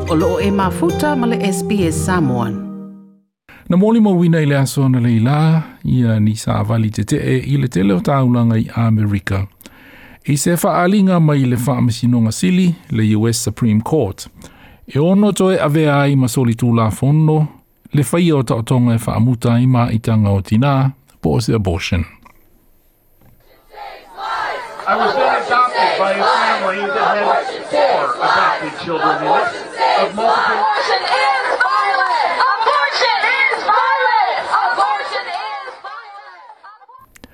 O loo e mafuta ma le SBS Samoan. Na molimauina i le aso analeila ia ni savali tetee i le tele o taulaga i Amerika. I se faaaliga mai le Faamasinoga Sili, le US Supreme Court, e ono toe avea ai ma solitulafono le faia o taotoga e faamuta ai maitaga o tinā po o se abortion. I was then adopted by a family that had four adopted children in it of multiple. Abortion is violent! Abortion is violent! Abortion is violent!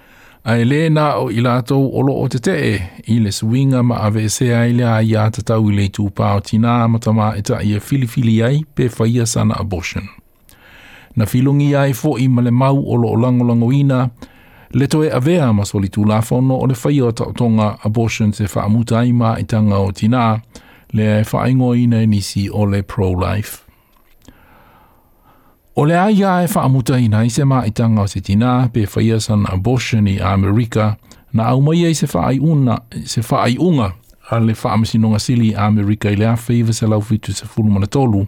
Ae le na o i latou o loo tetee i le suiga ma aveesea ai le aiatatau i le itupa o tinā ma tamaitai e filifili ai pe faia sana abortion. Na filogia ai fo'i ma le mau o loo lagolagoina le toe avea ma solitulafono o le faia o taotoga abortion e faamuta ai maitaga o tinā, lea e faaigoaina e nisi o le pro-life. O le aia e faamutaina ai se maitaga o se tinā pe faia sana abortion i Amerika, na aumaia i se faaiuga a le Faamasinoga Sili i Amerika i le 1973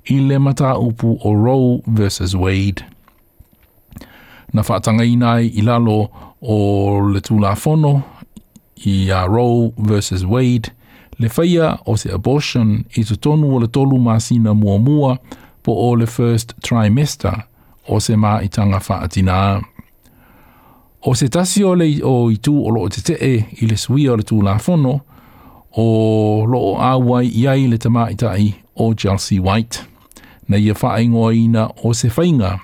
i le mataupu o Roe versus Wade. Na faatagaina ai i lalo o le Tulafono i a Roe versus Wade le faia o se abortion i totonu o le 3 masina muamua po o le first trimester o se maitaga faatinā. O se tasi o le o itu o loo tetee i le suia o le Tulafono o loo auai i ai le tamaitai o Chelsea White. Na ia faaigoaina o se faiga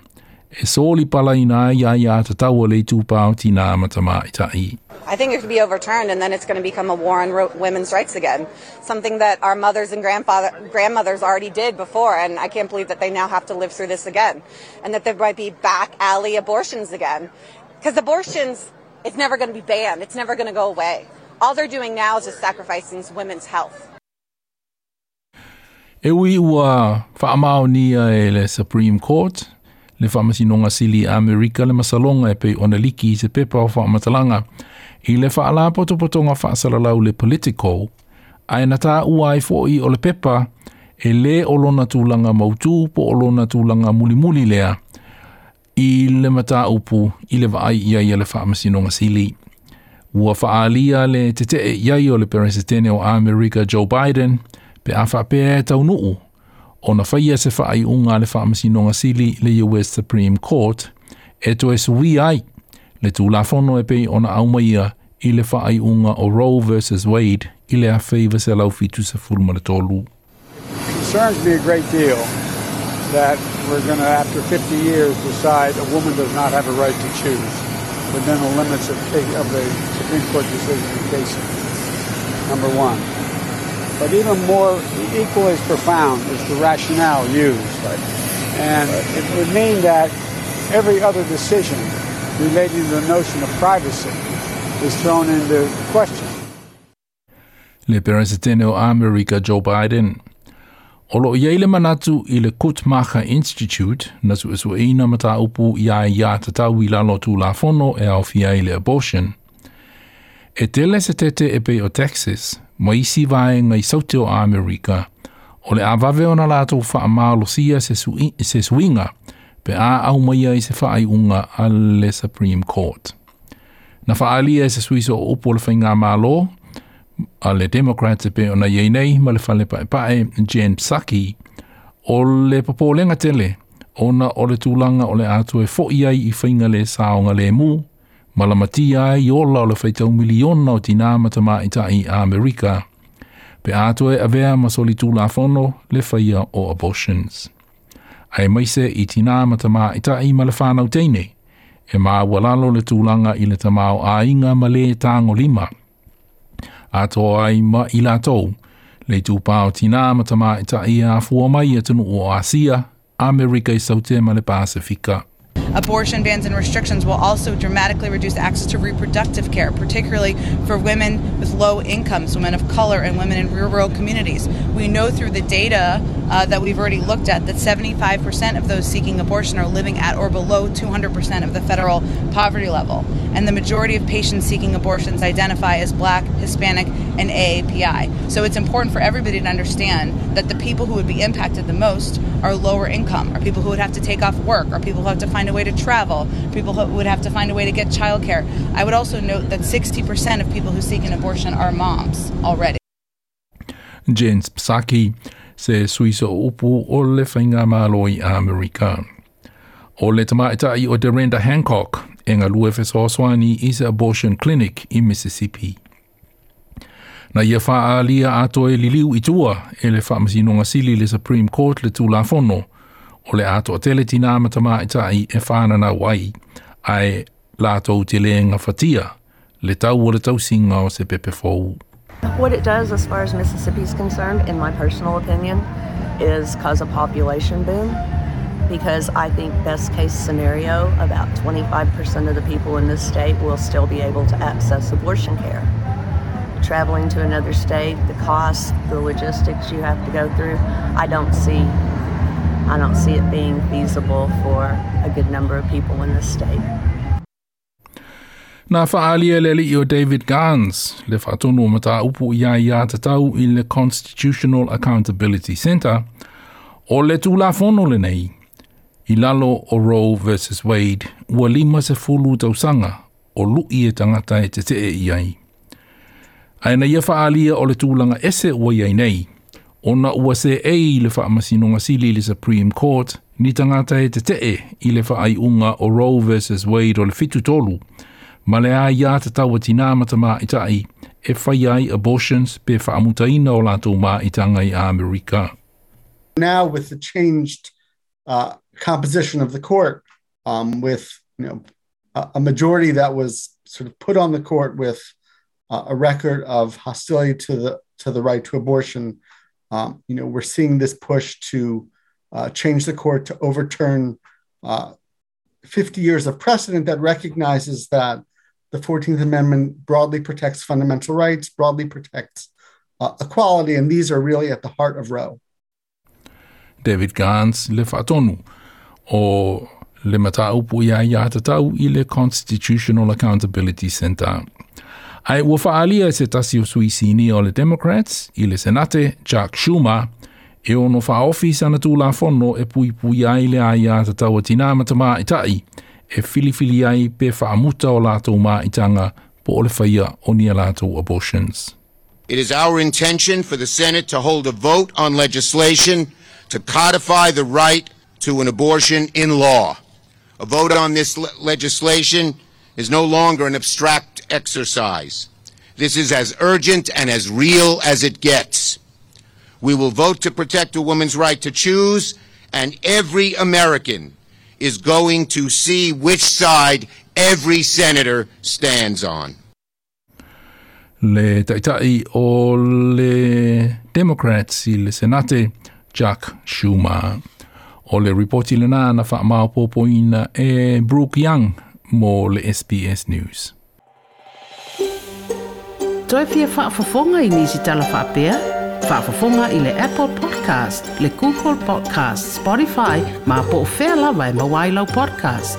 e soli palaina ai aiatatau a le itupa o tinā ma tamaitai. I think it could be overturned, and then it's going to become a war on women's rights again. Something that our mothers and grandmothers already did before, and I can't believe that they now have to live through this again. And that there might be back alley abortions again. Because abortions, it's never going to be banned. It's never going to go away. All they're doing now is just sacrificing women's health. E ui ua faamaonia e le Supreme Court, le Faamasinoga Sili Amerika le masaloga e pei ona liki i se pepa o faamatalaga i le faalapotopotoga faasalalau le Politico, ae na taua ai fo'i o le pepa e lē o lona tulaga mautū po o lona tulaga mulimuli lea i le mataupu i le vaai i ai a le Faamasinoga Sili. Ua faaalia le tetee i ai o le Peresetene o Amerika Joe Biden pe a faapea e taunuu ona faia se faaiuga a le Faamasinoga Sili le US Supreme Court e toe suia ai le Tulafono e pei ona aumaia i le faaiuga o Roe versus Wade i le 1973. Concerns me a great deal that we're going to, after 50 years, decide a woman does not have a right to choose within the limits of the Supreme Court decision in Casey, number one. But even more, equally as profound is the rationale used. And it would mean that every other decision relating to the notion of privacy is thrown into question. Le Peresetene o Amerika Joe Biden. O loo i ai le manatu i le Guttmacher Institute na suesueina mataupu i aiatatau i lalo o Tulafono e aofia ai le abortion. E tele se tete e pei o Texas, ma isi vaega i saute o Amerika, o le a vave ona latou faamalosia se suiga pe a aumaia i se faaiuga a le Supreme Court. Na faaalia e se sui sooupu o le faigamālō a le Democrats e pei ona iai nei ma le fale paepae Jen Psaki o le popolega tele ona o le tulaga o le a toe fo'i ai i faiga le saogalemu ma lamatia ai ola o le faitau miliona o tinā ma tamaitai Amerika pe a toe avea ma solitulafono le faia o abortions. Aemaise i tinā ma tamaitai ma le whānau teine, e maualalo le tulaga i le tamaoaiga ma le tagolima. Atoa ai ma i latou, le itupa o tinā ma tamaitai e afua mai i atunuu o Asia, Amerika i Saute ma le Pasifika. Abortion bans and restrictions will also dramatically reduce access to reproductive care, particularly for women with low incomes, women of color, and women in rural communities. We know through the data that we've already looked at that 75% of those seeking abortion are living at or below 200% of the federal poverty level. And the majority of patients seeking abortions identify as Black, Hispanic, and AAPI. So it's important for everybody to understand that the people who would be impacted the most are lower income, are people who would have to take off work, are people who have to find a way to travel, people who would have to find a way to get childcare. I would also note that 60% of people who seek an abortion are moms already. Jen Psaki, se sui sooupu o le Faigamalo i Amerika. O le tamaitai o Derenda Hancock e galue fesoasoani i se abortion clinic i Mississippi. Na ia faaalia atoa e liliu i tua e le Faamasinoga Sili le Supreme Court le Tulafono o le a toatele tinā ma tamaitai e fananau ai, ae latou te le gafatia le tau o le tausiga o se pepe fou. What it does, as far as Mississippi is concerned, in my personal opinion, is cause a population boom. Because I think best case scenario, about 25% of the people in this state will still be able to access abortion care. Traveling to another state, the cost, the logistics you have to go through, I don't see it being feasible for a good number of people in this state. Na faaalia e le alii o David Gans, le faatonu o mataupu i aiatatau i le Constitutional Accountability Center, o le Tulafono lenei, i lalo o Roe versus Wade, ua 50 tausaga o lui e tagata e tetee i ai. Ae na ia faaalia o le tulaga ese ua i ai nei, ona ua seei le Faamasinoga Sili le Supreme Court ni tagata e tetee i le faaiuga o Roe versus Wade o le 73, ma le aiatatau a tinā ma tamaitai e fai ai abortions pe faamutaina o latou maitaga i Amerika. Now with the changed composition of the court, with a majority that was sort of put on the court with a record of hostility to the right to abortion, we're seeing this push to change the court to overturn 50 years of precedent that recognizes that the 14th Amendment broadly protects fundamental rights, broadly protects equality, and these are really at the heart of Roe. David Gans, le faatonu o le mataupu i aiatatau i le Constitutional Accountability Center. Ae ua faaalia e se tasi o sui sinia o le Democrats i le Senate, Chuck Schumer, e ono faaofi sana tulafono e puipui ai le aiatatau a tinā ma tamaitai e filifili ai pe faamuta o latou maitaga po o le faia o ni a latou abortions. It is our intention for the Senate to hold a vote on legislation to codify the right to an abortion in law. A vote on this legislation is no longer an abstract exercise. This is as urgent and as real as it gets. We will vote to protect a woman's right to choose, and every American is going to see which side every senator stands on. Le taitai o le Democrats i le Senate, Chuck Schumer. O le ripoti lena na faamaopoopoina e Brooke Young mo le SBS News. Toe fia faafofoga i nisi tala faapea? Faafofoga i le Apple Podcast, le Google Podcast, Spotify, ma po o fea lava e maua ai lau podcast.